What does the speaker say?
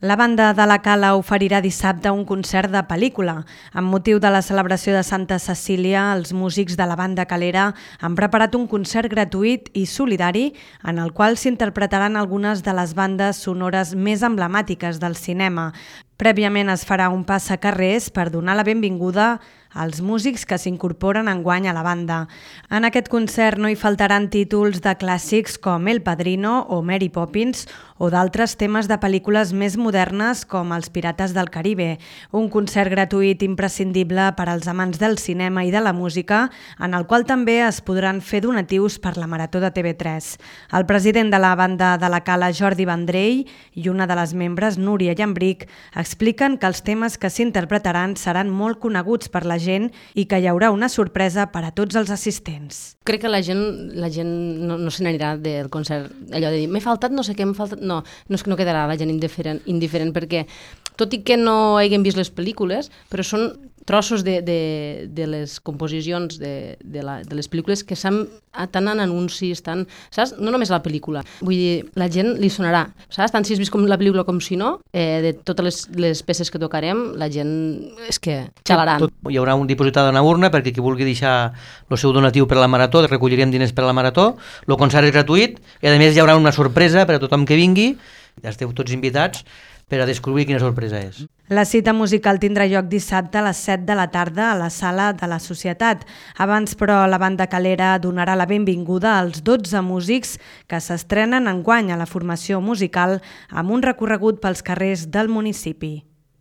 La banda de la Cala oferirà dissabte un concert de pel·lícula. Amb motiu de la celebració de Santa Cecília, els músics de la banda calera han preparat un concert gratuït i solidari en el qual s'interpretaran algunes de les bandes sonores més emblemàtiques del cinema. Prèviament es farà un passacarrers per donar la benvinguda als músics que s'incorporen enguany a la banda. En aquest concert no hi faltaran títols de clàssics com El Padrino o Mary Poppins o d'altres temes de pel·lícules més modernes com Els Pirates del Caribe. Un concert gratuït imprescindible per als amants del cinema i de la música, en el qual també es podran fer donatius per la Marató de TV3. El president de la banda de la Cala, Jordi Vendrell, i una de les membres, Núria Llambric, expliquen que els temes que s'interpretaran seran molt coneguts per la gent i que hi haurà una sorpresa per a tots els assistents. Crec que la gent no se n'anirà del concert, allò de dir, m'he faltat no sé què, m'he faltat... No és que no quedarà la gent indiferent perquè, tot i que no hagin vist les pel·lícules, però són trossos de les composicions de les pel·lícules que tant en anuncis, saps? No només la pel·lícula. Vull dir, la gent li sonarà, saps? Tant si has vist la pel·lícula com si no, de totes les peces que tocarem, la gent és que xalaran. Hi haurà un dipositat a una urna perquè qui vulgui deixar el seu donatiu per a la Marató, recollirem diners per a la Marató, el concert és gratuït i a més hi haurà una sorpresa per a tothom que vingui, ja esteu tots invitats per a descobrir quina sorpresa és. La cita musical tindrà lloc dissabte a les 7 de la tarda a la Sala de la Societat. Abans, però, la banda calera donarà la benvinguda als 12 músics que s'estrenen enguany a la formació musical amb un recorregut pels carrers del municipi.